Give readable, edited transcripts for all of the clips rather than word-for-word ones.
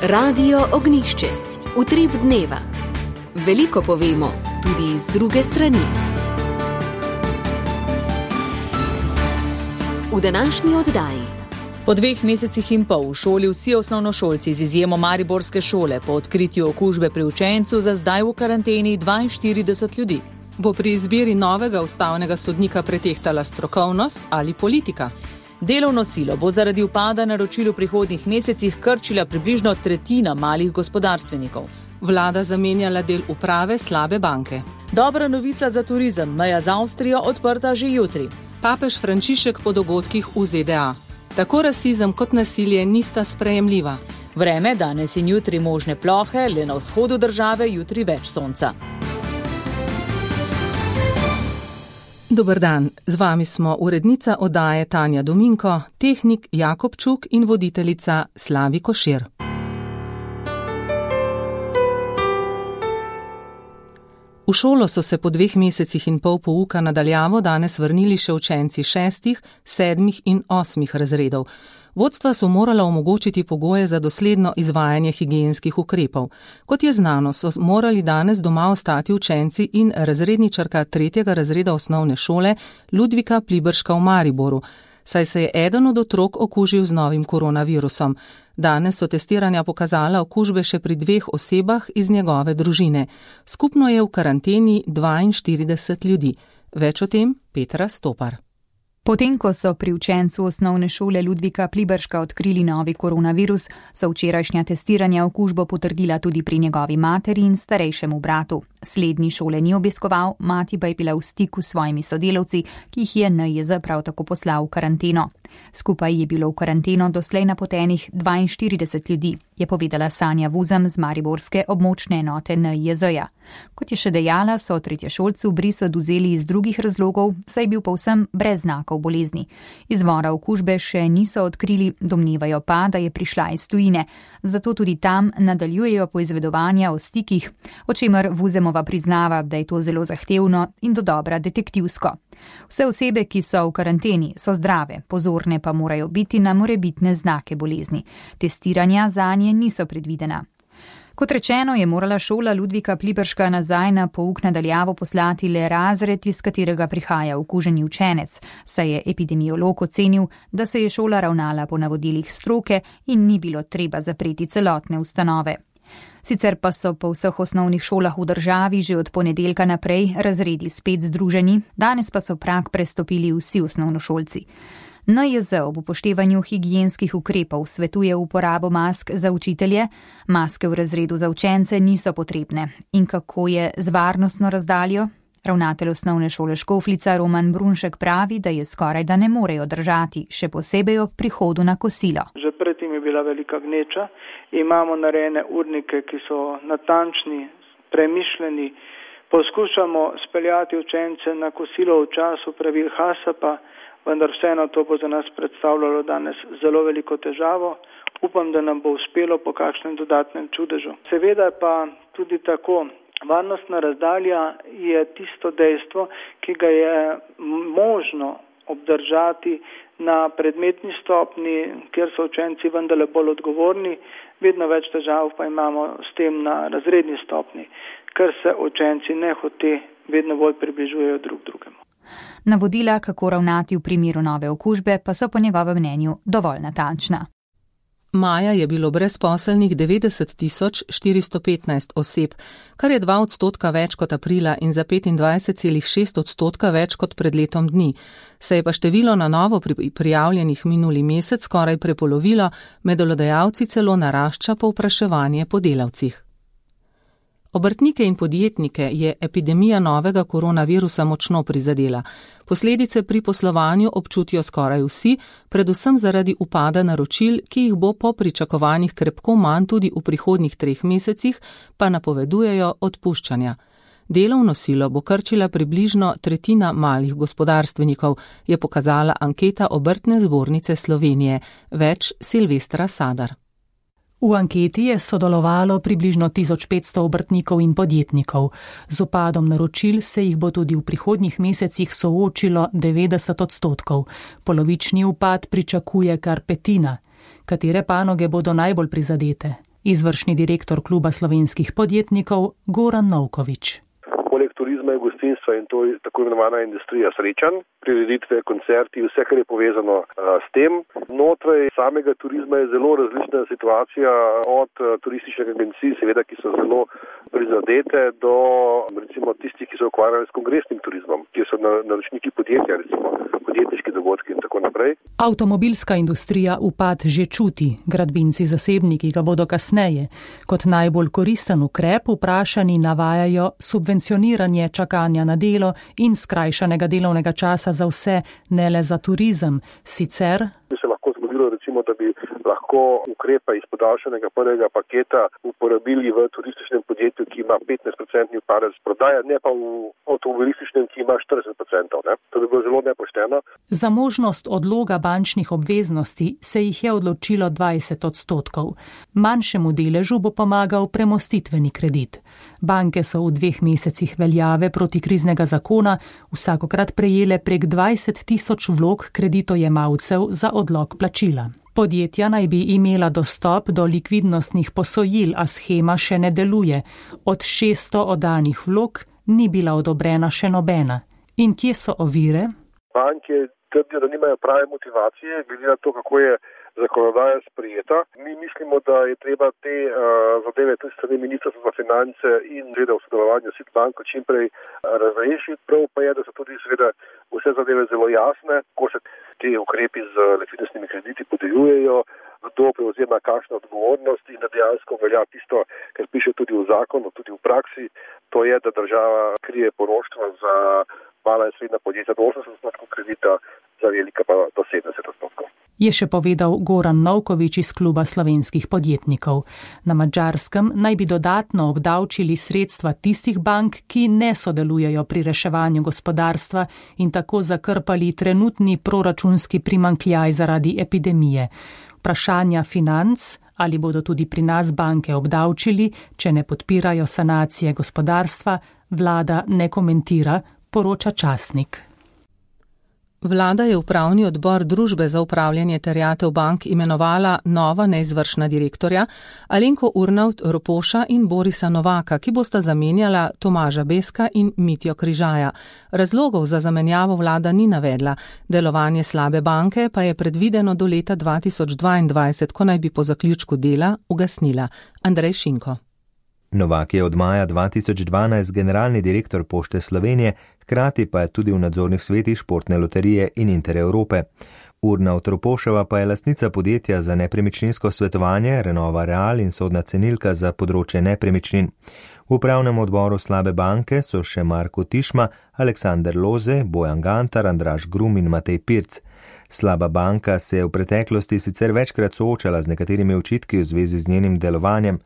Radio Ognjišče. Utrip dneva. Veliko povemo, tudi iz druge strani. V današnji oddaji. Po 2 mesecih in pol v šoli vsi osnovnošolci z izjemo mariborske šole po odkritju okužbe pri učencu za zdaj v karanteni 42 ljudi. Bo pri izbiri novega ustavnega sodnika pretehtala strokovnost ali politika? Delovno silo bo zaradi upada naročil v prihodnjih mesecih krčila približno tretjina malih gospodarstvenikov. Vlada zamenjala del uprave slabe banke. Dobra novica za turizem, meja z Avstrijo odprta že jutri. Papež Frančišek po dogodkih v ZDA. Tako rasizem kot nasilje nista sprejemljiva. Vreme danes in jutri možne plohe, le na vzhodu države jutri več sonca. Dober dan, z vami smo urednica oddaje Tanja Dominko, tehnik Jakob Čuk in voditeljica Slavi Košir. V šolo so se po 2 mesecih in pol pouka na daljavo danes vrnili še učenci 6., 7. in 8. razredov. Vodstva so morala omogočiti pogoje za dosledno izvajanje higienskih ukrepov. Kot je znano, so morali danes doma ostati učenci in razredničarka 3. razreda osnovne šole Ludvika Pliberška v Mariboru, saj se je eden od otrok okužil z novim koronavirusom. Danes so testiranja pokazala okužbe še pri 2 osebah iz njegove družine. Skupno je v karanteni 42 ljudi. Več o tem Petra Stopar. Potem, ko so pri učencu osnovne šole Ludvika Pliberška odkrili novi koronavirus, so včerajšnja testiranja okužbo potrdila tudi pri njegovi materi in starejšemu bratu. Slednji šole ni obiskoval, mati pa je bila v stiku s svojimi sodelavci, ki jih je NIJZ prav tako poslal v karanteno. Skupaj je bilo v karanteno doslej napotenih 42 ljudi, je povedala Sanja Vuzem z mariborske območne enote NIJZ-ja. Kot je še dejala, so tretješolci bris odvzeli iz drugih razlogov, saj je bil povsem brez znakov bolezni. Izvora okužbe še niso odkrili, domnevajo pa, da je prišla iz tujine. Zato tudi tam nadaljujejo poizvedovanja o stikih, o čemer Vuzemova priznava, da je to zelo zahtevno in dodobra detektivsko. Vse osebe, ki so v karanteni, so zdrave, pozorne pa morajo biti na morebitne znake bolezni. Testiranja zanje niso predvidena. Kot rečeno, je morala šola Ludvika Pliberška nazaj na pouk na daljavo poslati le razred, iz katerega prihaja okuženi učenec, saj je epidemiolog ocenil, da se je šola ravnala po navodilih stroke in ni bilo treba zapreti celotne ustanove. Sicer pa so po vseh osnovnih šolah v državi že od ponedeljka naprej razredi spet združeni, danes pa so prag prestopili vsi osnovnošolci. NIJZ ob upoštevanju higienskih ukrepov svetuje uporabo mask za učitelje, maske v razredu za učence niso potrebne. In kako je z varnostno razdaljo? Ravnatelj osnovne šole Škofljica Roman Brunšek pravi, da je skoraj da ne morejo držati, še posebej ob prihodu na kosilo. Že predtem je bila velika gneča, imamo narejene urnike, ki so natančni, premišljeni, poskušamo speljati učence na kosilo v času pravil HACCP, vendar vseeno to bo za nas predstavljalo danes zelo veliko težavo. Upam, da nam bo uspelo po kakšnem dodatnem čudežu. Seveda pa tudi tako, varnostna razdalja je tisto dejstvo, ki ga je možno obdržati na predmetni stopni, kjer so učenci vendarle bolj odgovorni, vedno več težav pa imamo s tem na razredni stopni, ker se učenci nehote vedno bolj približujejo drug drugemu. Navodila, kako ravnati v primeru nove okužbe, pa so po njegovem mnenju dovolj natančna. Maja je bilo brezposelnih 90 415 oseb, kar je 2% več kot aprila in za 25,6% več kot pred letom dni. Se je pa število na novo prijavljenih minuli mesec skoraj prepolovilo, med delodajalci celo narašča povpraševanje po delavcih. Obrtnike in podjetnike je epidemija novega koronavirusa močno prizadela. Posledice pri poslovanju občutijo skoraj vsi, predvsem zaradi upada naročil, ki jih bo po pričakovanjih krepko manj tudi v prihodnjih 3 mesecih, pa napovedujejo odpuščanja. Delovno silo bo krčila približno tretjina malih gospodarstvenikov, je pokazala anketa Obrtne zbornice Slovenije. Več Silvestra Sadar. V anketi je sodelovalo približno 1500 obrtnikov in podjetnikov. Z upadom naročil se jih bo tudi v prihodnjih mesecih soočilo 90%. Polovični upad pričakuje kar petina. Katere panoge bodo najbolj prizadete? Izvršni direktor Kluba slovenskih podjetnikov Goran Novković. Poleg turizma in gostinstva in to je tako imenovana industrija srečanj, prireditve, koncerti, vse, kar je povezano s tem. Znotraj samega turizma je zelo različna situacija od turističnih agencij, seveda, ki so zelo prizadete, do recimo tistih, ki so ukvarjali s kongresnim turizmom, ki so naročniki podjetja, recimo podjetniški dogodki in tako naprej. Avtomobilska industrija upad že čuti, gradbinci zasebniki ga bodo kasneje. Kot najbolj koristen ukrep vprašani navajajo subvencioniranje čakanja na delo in skrajšanega delovnega časa za vse, ne le za turizem. Sicer bi se lahko zgodilo, recimo, da bi lahko ukrepe iz podaljšanega prvega paketa uporabili v turističnem podjetju, ki ima 15% padec prodaje, ne pa v avtomobilističnem, ki ima 40%. Ne? To bi bilo zelo nepošteno. Za možnost odloga bančnih obveznosti se jih je odločilo 20%. Manjšemu deležu bo pomagal premostitveni kredit. Banke so v 2 mesecih veljave protikriznega zakona vsakokrat prejele prek 20.000 vlog kreditojemalcev za odlog plačila. Podjetja naj bi imela dostop do likvidnostnih posojil, a shema še ne deluje. Od 600 oddanih vlog ni bila odobrena še nobena. In kje so ovire? Banke trdijo, da nimajo prave motivacije, glede na to, kako je zakonodaja sprejeta. Mi mislimo, da je treba te zadeve tudi strani Ministrstva za finance in seveda v sodelovanju s banko čim prej razrešiti. Prav pa je, da so tudi seveda vse zadeve zelo jasne, ko se te ukrepi z likvidnostnimi krediti podeljujejo, kdo prevzema kakšno odgovornost in da dejansko velja tisto, kar piše tudi v zakonu, tudi v praksi, to je, da država krije poroštvo za mala in srednja podjetja do 80% kredita, za velika pa do 70%. Je še povedal Goran Novković iz Kluba slovenskih podjetnikov. Na Madžarskem naj bi dodatno obdavčili sredstva tistih bank, ki ne sodelujejo pri reševanju gospodarstva in tako zakrpali trenutni proračunski primanjkljaj zaradi epidemije. Vprašanja financ, ali bodo tudi pri nas banke obdavčili, če ne podpirajo sanacije gospodarstva, vlada ne komentira, poroča časnik. Vlada je upravni odbor Družbe za upravljanje terjatev bank imenovala nova neizvršna direktorja Alenko Urnavt Ropoša in Borisa Novaka, ki bosta zamenjala Tomaža Beska in Mitjo Križaja. Razlogov za zamenjavo vlada ni navedla, delovanje slabe banke pa je predvideno do leta 2022, ko naj bi po zaključku dela ugasnila. Andrej Šinko. Novak je od maja 2012 generalni direktor Pošte Slovenije, hkrati pa je tudi v nadzornih svetih Športne loterije in Intereurope. Urnavt Ropoševa pa je lastnica podjetja za nepremičninsko svetovanje Renova Real in sodna cenilka za področje nepremičnin. V upravnem odboru slabe banke so še Marko Tišma, Aleksander Loze, Bojan Gantar, Andraž Grum in Matej Pirc. Slaba banka se je v preteklosti sicer večkrat soočala z nekaterimi očitki v zvezi z njenim delovanjem.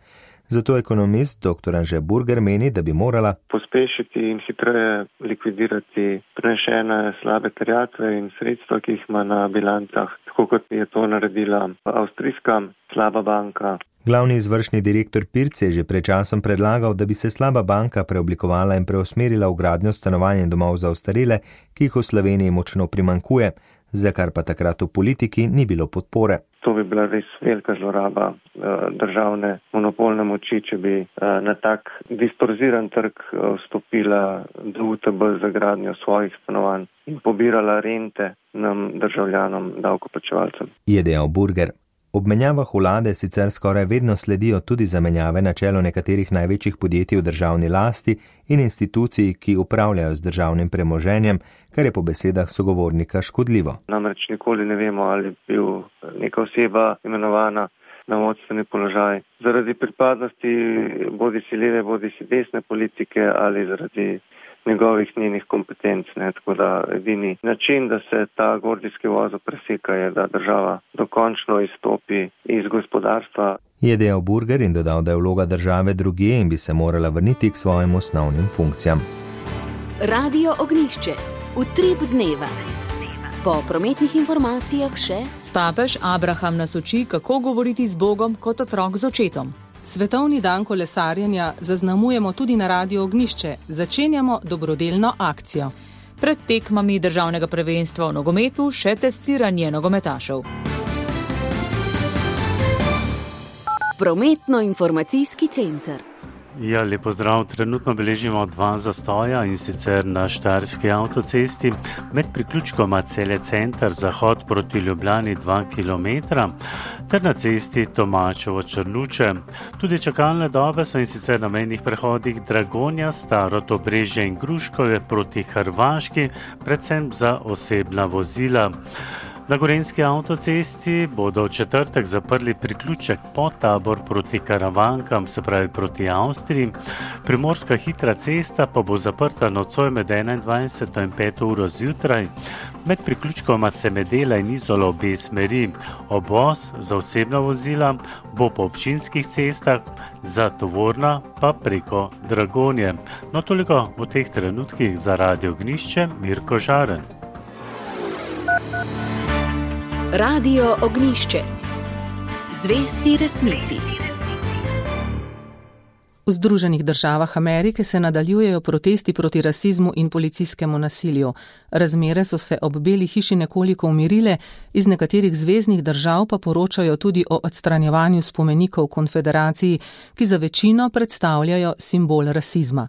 Zato ekonomist dr. Anže Burger meni, da bi morala pospešiti in hitreje likvidirati prenešene slabe terjatve in sredstva, ki jih ima na bilancah, tako kot je to naredila avstrijska slaba banka. Glavni izvršni direktor Pirc je že pred časom predlagal, da bi se slaba banka preoblikovala in preusmerila v gradnjo stanovanj in domov za ostarele, ki jih v Sloveniji močno primanjkuje, za kar pa takrat v politiki ni bilo podpore. To bi bila res velika zloraba državne monopolne moči, če bi na tak distorziran trg vstopila DUTB za gradnjo svojih stanovanj in pobirala rente nam državljanom, davkoplačevalcem. Je dejal Burger. Ob menjavah vlade sicer skoraj vedno sledijo tudi zamenjave na čelu nekaterih največjih podjetij v državni lasti in institucij, ki upravljajo z državnim premoženjem, kar je po besedah sogovornika škodljivo. Namreč nikoli ne vemo, ali bi bil neka oseba imenovana na vodstveni položaj zaradi pripadnosti bodisi leve, bodisi desne politike ali zaradi njegovih njenih kompetenc. Tako da edini način, da se ta gordijski vozel preseka, je, da država dokončno izstopi iz gospodarstva. Je dejal Burger in dodal, da je vloga države drugje in bi se morala vrniti k svojim osnovnim funkcijam. Radio Ognjišče. Utrip dneva. Po prometnih informacijah še papež Abraham nas uči, kako govoriti z Bogom kot otrok z očetom. Svetovni dan kolesarjenja zaznamujemo tudi na Radio Ognjišče. Začenjamo dobrodelno akcijo. Pred tekmami državnega prvenstva v nogometu še testiranje nogometašev. Prometno-informacijski center. Ja, lepo zdrav. Trenutno beležimo 2 zastoja, in sicer na Štajerski avtocesti med priključkoma Celje center zahod proti Ljubljani 2 km ter na cesti Tomačevo-Črnuče. Tudi čakalne dobe so in sicer na mejnih prehodih Dragonja, Staro Dobrežje in Gruškovje proti Hrvaški, predvsem za osebna vozila. Na Gorenjski avtocesti bodo v četrtek zaprli priključek Podtabor proti Karavankam, se pravi proti Avstriji. Primorska hitra cesta pa bo zaprta nocoj med 21. in 5. uro zjutraj. Med priključkoma Semedela in Izola obe smeri. Obvoz za osebna vozila bo po občinskih cestah, za tovorna pa preko Dragonje. No, toliko v teh trenutkih za Radio Ognjišče, Mirko Žaren. Radio Ognjišče. Zvesti resnici. V Združenih državah Amerike se nadaljujejo protesti proti rasizmu in policijskemu nasilju. Razmere so se ob Beli hiši nekoliko umirile, iz nekaterih zveznih držav pa poročajo tudi o odstranjevanju spomenikov konfederaciji, ki za večino predstavljajo simbol rasizma.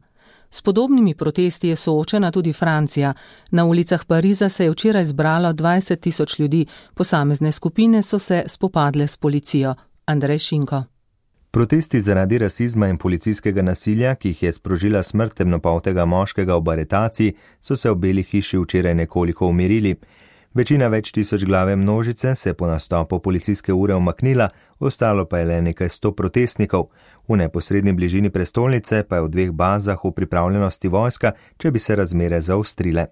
S podobnimi protesti je soočena tudi Francija. Na ulicah Pariza se je včeraj zbralo 20.000 ljudi, posamezne skupine so se spopadle s policijo. Andrej Šinko. Protesti zaradi rasizma in policijskega nasilja, ki jih je sprožila smrt temnopoltega moškega ob aretaciji, so se v Beli hiši včeraj nekoliko umirili. Večina več tisoč glave množice se po nastopu policijske ure umaknila, ostalo pa je le nekaj 100 protestnikov. V neposredni bližini prestolnice pa je v 2 bazah v pripravljenosti vojska, če bi se razmere zaostrile.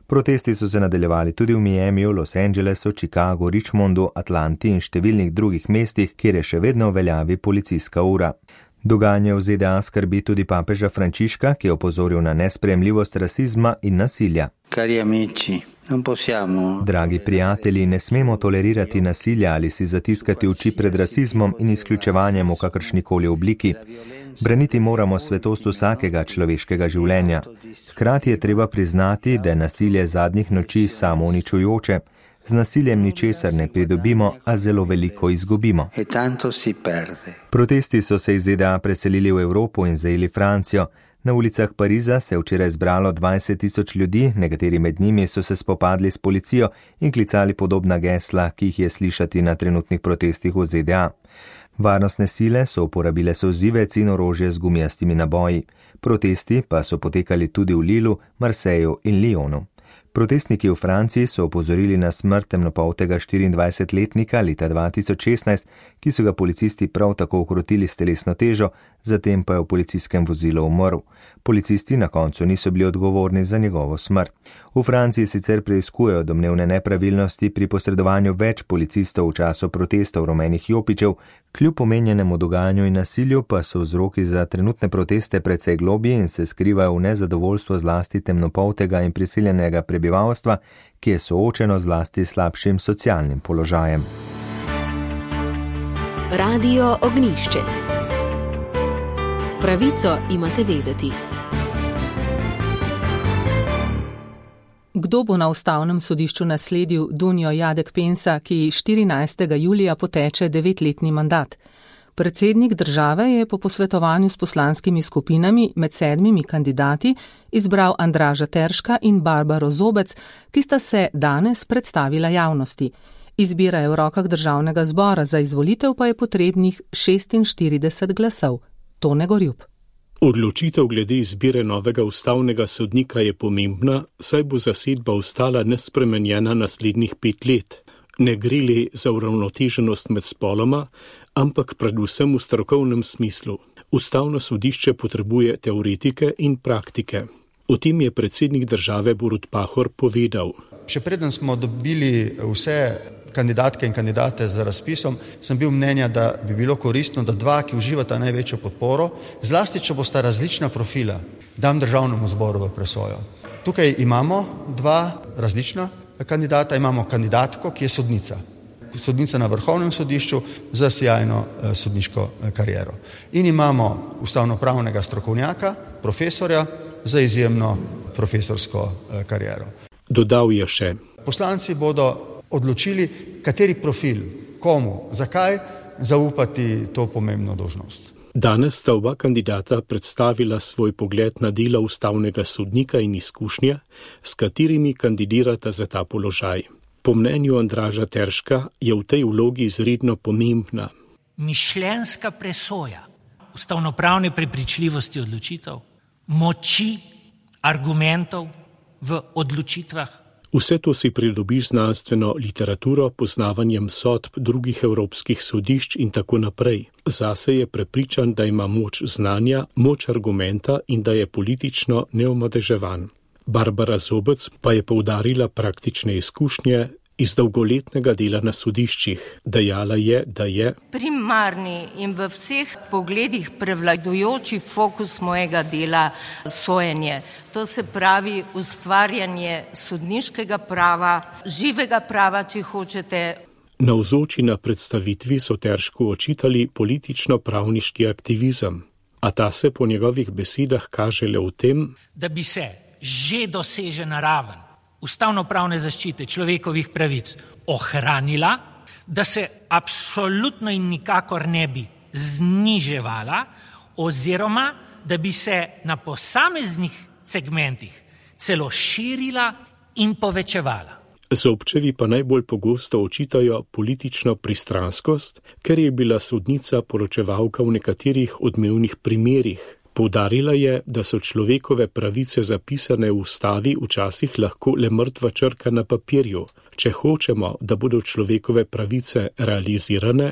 Protesti so se nadaljevali tudi v Miamiju, Los Angelesu, Chicagu, Richmondu, Atlanti in številnih drugih mestih, kjer je še vedno v veljavi policijska ura. Dogajanje v ZDA skrbi tudi papeža Frančiška, ki je opozoril na nesprejemljivost rasizma in nasilja. Dragi prijatelji, ne smemo tolerirati nasilja ali si zatiskati oči pred rasizmom in izključevanjem v kakršnikoli obliki. Braniti moramo svetost vsakega človeškega življenja. Hkrati je treba priznati, da je nasilje zadnjih noči samouničujoče. Z nasiljem ničesar ne pridobimo, a zelo veliko izgubimo. Protesti so se iz ZDA preselili v Evropo in zajeli Francijo. Na ulicah Pariza se je včeraj zbralo 20.000 ljudi, nekateri med njimi so se spopadli s policijo in klicali podobna gesla, ki jih je slišati na trenutnih protestih v ZDA. Varnostne sile so uporabile solzivec in orožje z gumijastimi naboji. Protesti pa so potekali tudi v Lilu, Marseju in Lyonu. Protestniki v Franciji so opozorili na smrt temnopoltega 24-letnika leta 2016, ki so ga policisti prav tako ukrotili s telesno težo, zatem pa je v policijskem vozilu umrl. Policisti na koncu niso bili odgovorni za njegovo smrt. V Franciji sicer preiskujejo domnevne nepravilnosti pri posredovanju več policistov v času protestov rumenih jopičev, kljub omenjenemu dogajanju in nasilju pa so vzroki za trenutne proteste precej globji in se skrivajo v nezadovoljstvo zlasti temnopoltega in prisiljenega prebivalstva, ki je soočeno zlasti slabšim socialnim položajem. Radio Ognjišče. Pravico imate vedeti. Kdo bo na ustavnem sodišču nasledil Dunjo Jadek Pensa, ki 14. julija poteče 9-letni mandat? Predsednik države je po posvetovanju s poslanskimi skupinami med 7 kandidati izbral Andraža Terška in Barbaro Zobec, ki sta se danes predstavila javnosti. Izbira je v rokah državnega zbora, za izvolitev pa je potrebnih 46 glasov. Tone Gorjup. Odločitev glede izbire novega ustavnega sodnika je pomembna, saj bo zasedba ostala nespremenjena naslednjih 5 let. Ne gre le za uravnoteženost med spoloma, ampak predvsem v strokovnem smislu. Ustavno sodišče potrebuje teoretike in praktike. O tem je predsednik države Borut Pahor povedal. Še preden smo dobili vse kandidatke in kandidate za razpisom, sem bil mnenja, da bi bilo koristno, da 2, ki uživata največjo podporo, zlasti če bosta različna profila, dam državnemu zboru v presojo. Tukaj imamo 2 različna kandidata, imamo kandidatko, ki je sodnica. Sodnica na Vrhovnem sodišču za sjajno sodniško kariero. In imamo ustavnopravnega strokovnjaka, profesorja za izjemno profesorsko kariero. Dodal je še. Poslanci bodo odločili, kateri profil, komu, zakaj, zaupati to pomembno dolžnost. Danes sta oba kandidata predstavila svoj pogled na delo ustavnega sodnika in izkušnje, s katerimi kandidirata za ta položaj. Po mnenju Andraža Terška je v tej vlogi izredno pomembna mišljenjska presoja ustavnopravne prepričljivosti odločitev, moči argumentov v odločitvah. Vse to si pridobiš znanstveno literaturo, poznavanjem sodb drugih evropskih sodišč in tako naprej. Zase je prepričan, da ima moč znanja, moč argumenta in da je politično neomadeževan. Barbara Zobec pa je poudarila praktične izkušnje iz dolgoletnega dela na sodiščih. Dejala je, da je primarni in v vseh pogledih prevladujoči fokus mojega dela sojenje. To se pravi ustvarjanje sodniškega prava, živega prava, če hočete. Navzoči na predstavitvi so Teršku očitali politično-pravniški aktivizem, a ta se po njegovih besedah kaže le v tem, da bi se že dosežena raven ustavnopravne zaščite človekovih pravic ohranila, da se absolutno in nikakor ne bi zniževala, oziroma da bi se na posameznih segmentih celo širila in povečevala. Zobčevi pa najbolj pogosto očitajo politično pristranskost, ker je bila sodnica poročevalka v nekaterih odmevnih primerih. Poudarila je, da so človekove pravice zapisane v ustavi včasih lahko le mrtva črka na papirju. Če hočemo, da bodo človekove pravice realizirane,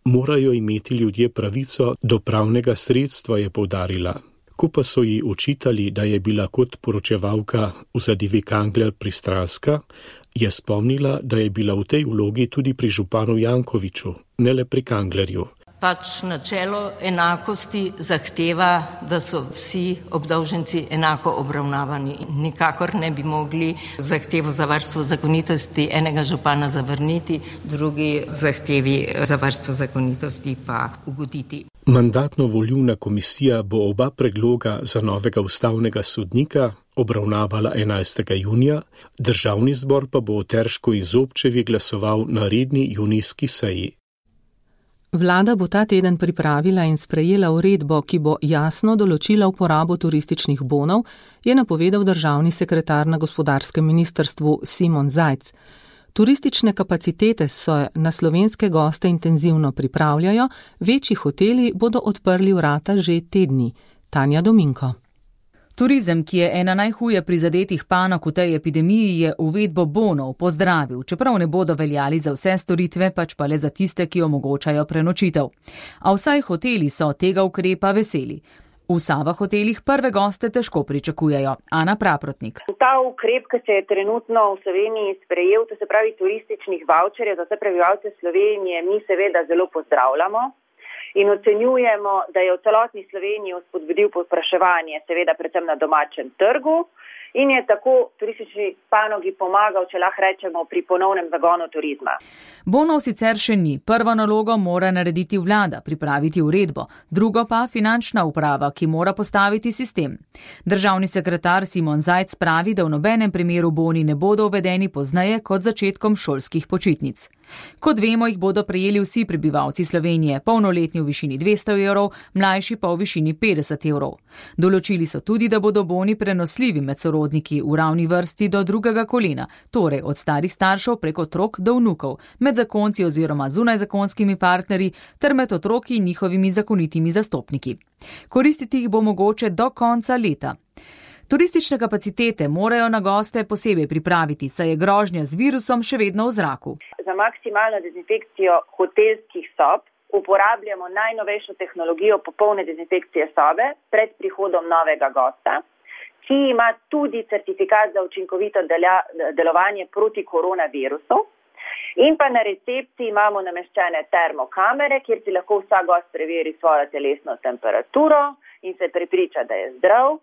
morajo imeti ljudje pravico do pravnega sredstva, je poudarila. Ko pa so ji očitali, da je bila kot poročevalka v zadevi Kangler pristranska, je spomnila, da je bila v tej vlogi tudi pri županu Jankoviću, ne le pri Kanglerju. Pač načelo enakosti zahteva, da so vsi obdolženci enako obravnavani. Nikakor ne bi mogli zahtevo za varstvo zakonitosti enega župana zavrniti, drugi zahtevi za varstvo zakonitosti pa ugoditi. Mandatno-volilna komisija bo oba predloga za novega ustavnega sodnika obravnavala 11. junija, Državni zbor pa bo o Teršku in Zobčevi glasoval na redni junijski seji. Vlada bo ta teden pripravila in sprejela uredbo, ki bo jasno določila uporabo turističnih bonov, je napovedal državni sekretar na gospodarskem ministrstvu Simon Zajc. Turistične kapacitete se na slovenske goste intenzivno pripravljajo, večji hoteli bodo odprli vrata že te dni. Tanja Dominko. Turizem, ki je ena najhuje prizadetih panog v tej epidemiji, je uvedbo bonov pozdravil, čeprav ne bodo veljali za vse storitve, pač pa le za tiste, ki omogočajo prenočitev. A vsaj hoteli so tega ukrepa veseli. V Sava hotelih prve goste težko pričakujejo. Ana Praprotnik. Ta ukrep, ki se je trenutno v Sloveniji sprejel, to se pravi turističnih vaučerjev za vse prebivalce Slovenije, mi seveda zelo pozdravljamo. In ocenjujemo, da je v celotni Sloveniji spodbudil povpraševanje, seveda predvsem na domačem trgu, in je tako turistični panogi pomagal, če lahko rečemo, pri ponovnem zagonu turizma. Bonov sicer še ni. Prvo nalogo mora narediti vlada, pripraviti uredbo, drugo pa finančna uprava, ki mora postaviti sistem. Državni sekretar Simon Zajc pravi, da v nobenem primeru boni ne bodo uvedeni pozneje kot začetkom šolskih počitnic. Kot vemo, jih bodo prejeli vsi prebivalci Slovenije, polnoletni v višini 200 evrov, mlajši pa v višini 50 evrov. Določili so tudi, da bodo boni prenosljivi med sorodniki v ravni vrsti do drugega kolena, torej od starih staršev preko otrok do vnukov, med zakonci oziroma zunajzakonskimi partnerji ter med otroki in njihovimi zakonitimi zastopniki. Koristiti jih bo mogoče do konca leta. Turistične kapacitete morajo na goste posebej pripraviti, saj je grožnja z virusom še vedno v zraku. Za maksimalno dezinfekcijo hotelskih sob uporabljamo najnovejšo tehnologijo popolne dezinfekcije sobe pred prihodom novega gosta, ki ima tudi certifikat za učinkovito delovanje proti koronavirusu. In pa na recepciji imamo nameščene termokamere, kjer si lahko vsak gost preveri svojo telesno temperaturo in se prepriča, da je zdrav.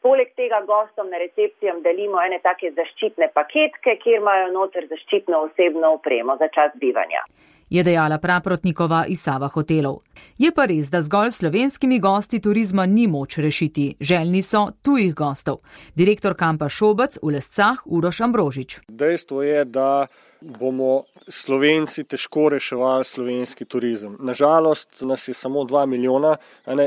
Poleg tega gostom na recepcijam delimo ene take zaščitne paketke, kjer imajo noter zaščitno osebno opremo za čas bivanja. Je dejala Praprotnikova iz Sava hotelov. Je pa res, da zgolj slovenskimi gosti turizma ni moč rešiti. Željni so tujih gostov. Direktor kampa Šobec v Lescah Uroš Ambrožič. Dejstvo je, da bomo Slovenci težko reševali slovenski turizem. Nažalost nas je samo 2 milijona,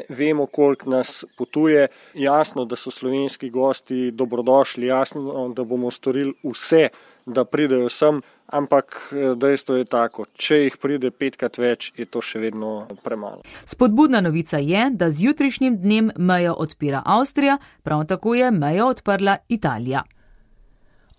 vemo, koliko nas potuje. Jasno, da so slovenski gosti dobrodošli, jasno, da bomo storili vse, da pridejo sem, ampak dejstvo je tako, če jih pride 5-krat več, je to še vedno premalo. Spodbudna novica je, da z jutrišnjim dnem mejo odpira Avstrija, prav tako je mejo odprla Italija.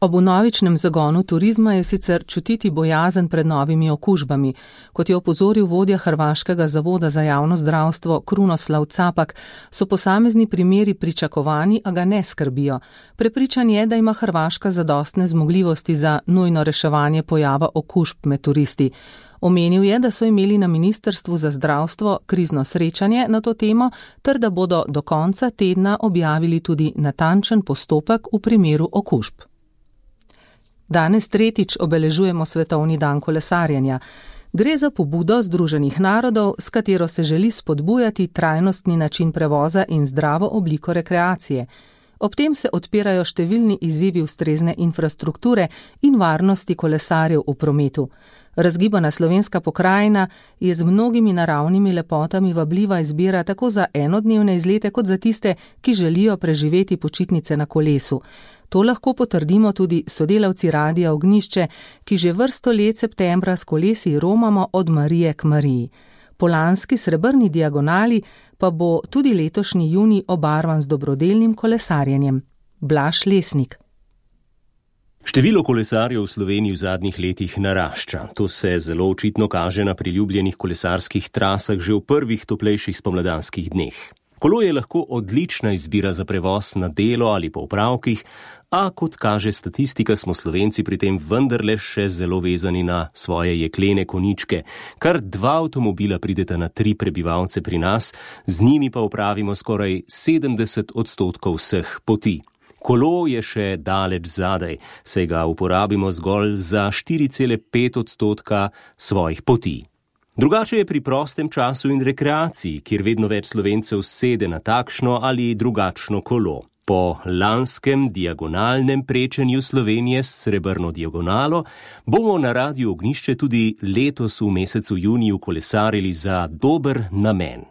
Ob vnovičnem zagonu turizma je sicer čutiti bojazen pred novimi okužbami. Kot je opozoril vodja Hrvaškega zavoda za javno zdravstvo Krunoslav Capak, so posamezni primeri pričakovani, a ga ne skrbijo. Prepričan je, da ima Hrvaška zadostne zmogljivosti za nujno reševanje pojava okužb med turisti. Omenil je, da so imeli na Ministrstvu za zdravstvo krizno srečanje na to temo, ter da bodo do konca tedna objavili tudi natančen postopek v primeru okužb. Danes tretjič obeležujemo Svetovni dan kolesarjenja. Gre za pobudo Združenih narodov, s katero se želi spodbujati trajnostni način prevoza in zdravo obliko rekreacije. Ob tem se odpirajo številni izzivi ustrezne infrastrukture in varnosti kolesarjev v prometu. Razgibana slovenska pokrajina je z mnogimi naravnimi lepotami vabljiva izbira tako za enodnevne izlete kot za tiste, ki želijo preživeti počitnice na kolesu. To lahko potrdimo tudi sodelavci Radia Ognjišče, ki že vrsto let septembra s kolesi romamo od Marije k Mariji. Po lanski srebrni diagonali pa bo tudi letošnji junij obarvan z dobrodelnim kolesarjenjem. Blaž Lesnik. Število kolesarjev v Sloveniji v zadnjih letih narašča. To se zelo očitno kaže na priljubljenih kolesarskih trasah že v prvih toplejših spomladanskih dneh. Kolo je lahko odlična izbira za prevoz na delo ali po opravkih, a kot kaže statistika, smo Slovenci pri tem vendarle še zelo vezani na svoje jeklene koničke. Kar 2 avtomobila prideta na 3 prebivalce pri nas, z njimi pa opravimo skoraj 70% vseh poti. Kolo je še daleč zadaj, saj ga uporabimo zgolj za 4,5% svojih poti. Drugače je pri prostem času in rekreaciji, kjer vedno več Slovencev sede na takšno ali drugačno kolo. Po lanskem diagonalnem prečenju Slovenije s srebrno diagonalo bomo na Radiu Ognjišče tudi letos v mesecu juniju kolesarili za dober namen.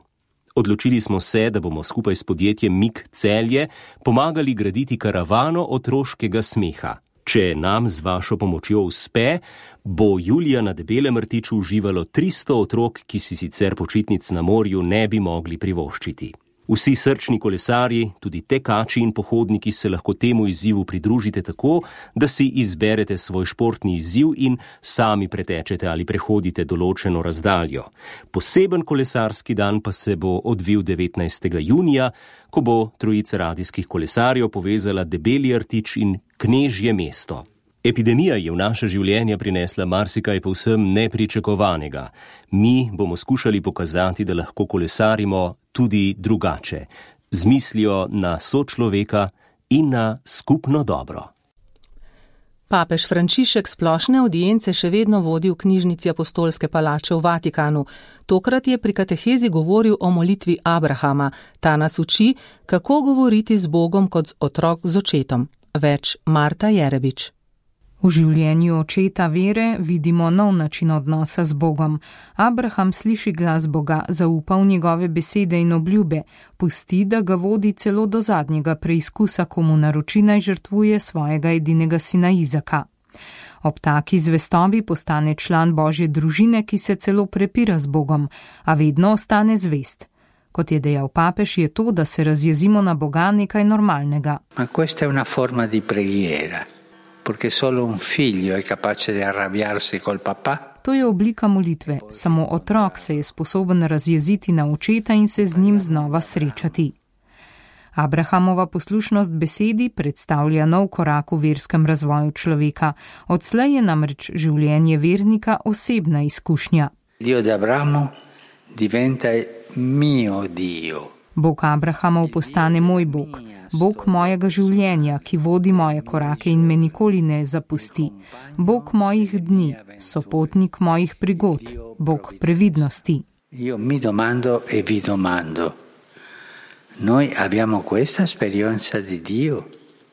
Odločili smo se, da bomo skupaj s podjetjem Mik Celje pomagali graditi karavano otroškega smeha. Če nam z vašo pomočjo uspe, bo julija na Debelem rtiču uživalo 300 otrok, ki si sicer počitnic na morju ne bi mogli privoščiti. Vsi srčni kolesarji, tudi tekači in pohodniki se lahko temu izzivu pridružite tako, da si izberete svoj športni izziv in sami pretečete ali prehodite določeno razdaljo. Poseben kolesarski dan pa se bo odvil 19. junija, ko bo trojica radijskih kolesarjev povezala Debeli rtič in Knežje mesto. Epidemija je v naše življenje prinesla marsikaj povsem nepričakovanega. Mi bomo skušali pokazati, da lahko kolesarimo tudi drugače, z mislijo na sočloveka in na skupno dobro. Papež Frančišek splošne audience še vedno vodi v knjižnici Apostolske palače v Vatikanu. Tokrat je pri katehezi govoril o molitvi Abrahama. Ta nas uči, kako govoriti z Bogom kot otrok z očetom. Več Marta Jerebič. V življenju očeta vere vidimo nov način odnosa z Bogom. Abraham sliši glas Boga, zaupa v njegove besede in obljube, pusti, da ga vodi celo do zadnjega preizkusa, ko mu naroči naj žrtvuje svojega edinega sina Izaka. Ob taki zvestobi postane član Božje družine, ki se celo prepira z Bogom, a vedno ostane zvest. Kot je dejal papež, je to, da se razjezimo na Boga, nekaj normalnega. Ma questa è una forma di preghiera. Perché solo un figlio è capace di arrabbiarsi col papà. To je oblika molitve, samo otrok se je sposoben razjeziti na očeta in se z njim znova srečati. Abrahamova poslušnost besedi predstavlja nov korak v verskem razvoju človeka. Odslej je namreč življenje vernika osebna izkušnja. Dio di Abramo diventa mio Dio. Bog Abrahamov postane moj Bog, Bog mojega življenja, ki vodi moje korake in me nikoli ne zapusti. Bog mojih dni, sopotnik mojih prigod, Bog previdnosti. Io mi domando e vi domando. Noi abbiamo questa esperienza di Dio?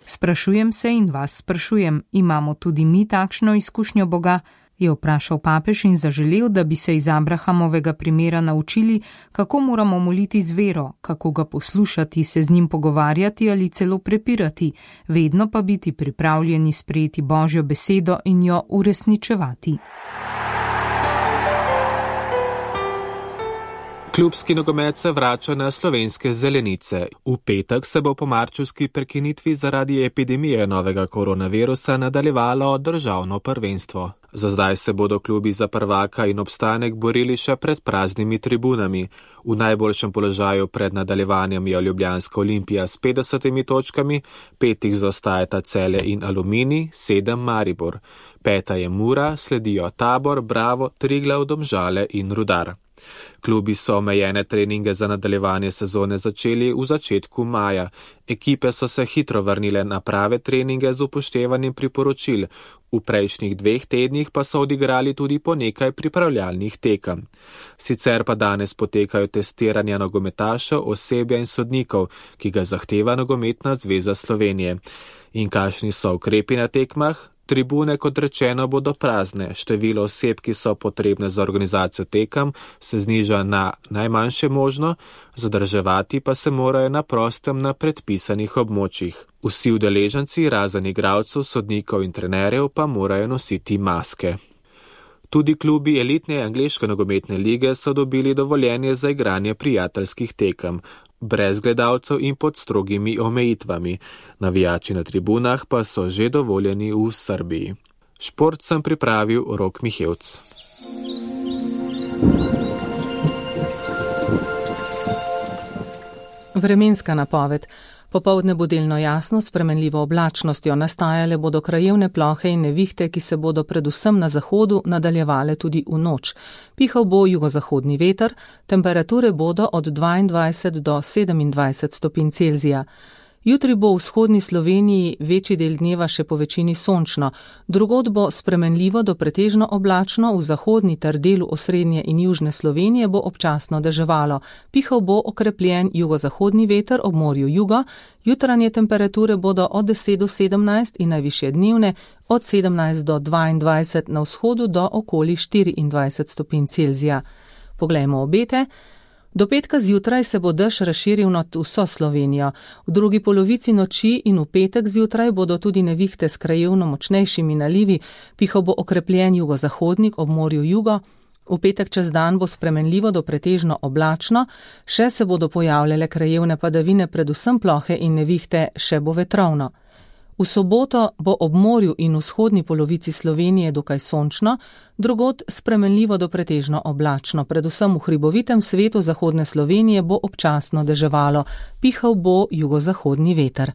Sprašujem se in vas sprašujem, imamo tudi mi takšno izkušnjo Boga? Je vprašal papež in zaželel, da bi se iz Abrahamovega primera naučili, kako moramo moliti z vero, kako ga poslušati, se z njim pogovarjati ali celo prepirati, vedno pa biti pripravljeni sprejeti Božjo besedo in jo uresničevati. Klubski nogomet se vrača na slovenske zelenice. V petek se bo po marčevski prekinitvi zaradi epidemije novega koronavirusa nadaljevalo državno prvenstvo. Za zdaj se bodo klubi za prvaka in obstanek borili še pred praznimi tribunami. V najboljšem položaju pred nadaljevanjem je Ljubljanska Olimpija s 50 točkami, 5 jih zaostajata Celje in Aluminij, 7 Maribor. 5 je Mura, sledijo Tabor, Bravo, Triglav, Domžale in Rudar. Klubi so omejene treninge za nadaljevanje sezone začeli v začetku maja. Ekipe so se hitro vrnile na prave treninge z upoštevanjem priporočil. V prejšnjih 2 tednih pa so odigrali tudi po nekaj pripravljalnih tekem. Sicer pa danes potekajo testiranja nogometašev, osebja in sodnikov, ki ga zahteva Nogometna zveza Slovenije. In kakšni so ukrepi na tekmah? Tribune, kot rečeno, bodo prazne. Število oseb, ki so potrebne za organizacijo tekem, se zniža na najmanjše možno, zadrževati pa se morajo na prostem na predpisanih območjih. Vsi udeleženci, razen igralcev, sodnikov in trenerjev, pa morajo nositi maske. Tudi klubi elitne angleške nogometne lige so dobili dovoljenje za igranje prijateljskih tekem, brez gledalcev in pod strogimi omejitvami. Navijači na tribunah pa so že dovoljeni v Srbiji. Šport sem pripravil Rok Mihevc. Vremenska napoved. Popoldne bo delno jasno, s spremenljivo oblačnostjo, nastajale bodo krajevne plohe in nevihte, ki se bodo predvsem na zahodu nadaljevale tudi v noč. Pihal bo jugozahodni veter, temperature bodo od 22 do 27 stopinj Celzija. Jutri bo v vzhodni Sloveniji večji del dneva še po večini sončno, drugod bo spremenljivo do pretežno oblačno, v zahodni ter delu osrednje in južne Slovenije bo občasno deževalo. Pihal bo okrepljen jugozahodni veter ob morju jugo, jutranje temperature bodo od 10 do 17 in najvišje dnevne od 17 do 22, na vzhodu do okoli 24 stopinj Celzija. Poglejmo obete. Do petka zjutraj se bo dež razširil nad vso Slovenijo. V drugi polovici noči in v petek zjutraj bodo tudi nevihte s krajevno močnejšimi nalivi, pihal bo okrepljen jugozahodnik ob morju jugo. V petek čez dan bo spremenljivo do pretežno oblačno, še se bodo pojavljale krajevne padavine, predvsem plohe in nevihte, še bo vetrovno. V soboto bo ob morju in vzhodni polovici Slovenije dokaj sončno, drugod spremenljivo do pretežno oblačno, predvsem v hribovitem svetu zahodne Slovenije bo občasno deževalo, pihal bo jugozahodni veter.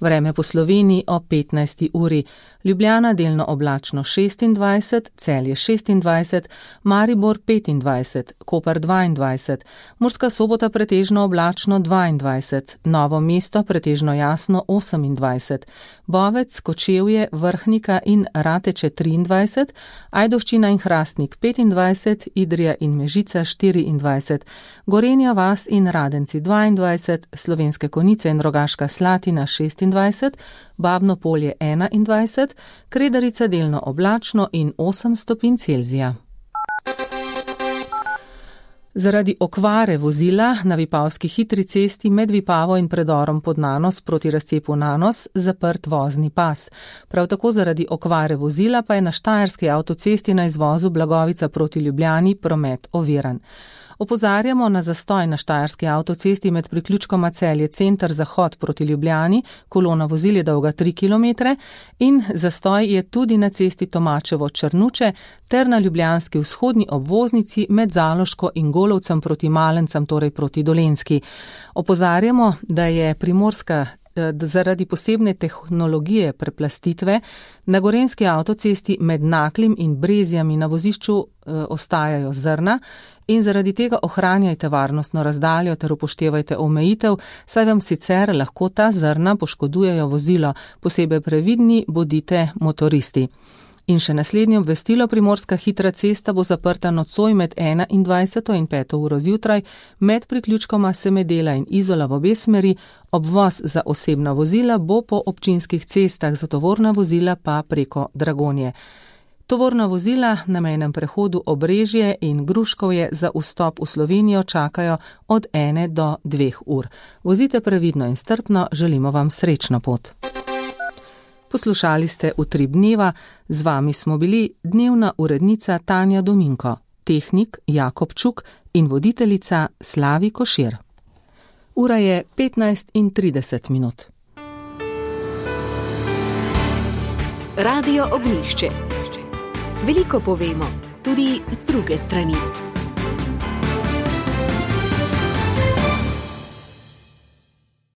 Vreme po Sloveniji o 15. uri. Ljubljana delno oblačno 26, Celje 26, Maribor 25, Koper 22, Murska Sobota pretežno oblačno 22, Novo mesto pretežno jasno 28, Bovec, Kočevje, Vrhnika in Rateče 23, Ajdovščina in Hrastnik 25, Idrija in Mežica 24, Gorenja vas in Radenci 22, Slovenske Konjice in Rogaška Slatina 26, Babno Polje 21, Kredarica delno oblačno in 8 stopinj Celzija. Zaradi okvare vozila na Vipavski hitri cesti med Vipavo in predorom pod Nanos proti razcepu Nanos zaprt vozni pas. Prav tako zaradi okvare vozila pa je na Štajerski avtocesti na izvozu Blagovica proti Ljubljani promet oviran. Opozarjamo na zastoj na Štajerski avtocesti med priključkoma Celje center zahod proti Ljubljani, kolona vozil je dolga 3 km in zastoj je tudi na cesti Tomačevo-Črnuče ter na ljubljanski vzhodni obvoznici med Zaloško in Golovcem proti Malencem, torej proti Dolenjski. Opozarjamo, da je Primorska zaradi posebne tehnologije preplastitve na Gorenjski avtocesti med Naklim in Brezjami na vozišču ostajajo zrna in zaradi tega ohranjajte varnostno razdaljo ter upoštevajte omejitev, saj vam sicer lahko ta zrna poškodujejo vozilo, posebej previdni bodite motoristi. In še naslednje obvestilo, Primorska hitra cesta bo zaprta nocoj med 21. in 5. uro zjutraj, med priključkoma Semedela in Izola v obe smeri, obvoz za osebna vozila bo po občinskih cestah, za tovorna vozila pa preko Dragonje. Tovorna vozila na mejnem prehodu Obrežje in Gruškovje za vstop v Slovenijo čakajo od 1 do 2 ur. Vozite previdno in strpno, želimo vam srečno pot. Poslušali ste Utrip dneva, z vami smo bili dnevna urednica Tanja Dominko, tehnik Jakob Čuk in voditeljica Slavi Košir. Ura je 15:30. Radio Ognjišče. Veliko povemo, tudi z druge strani.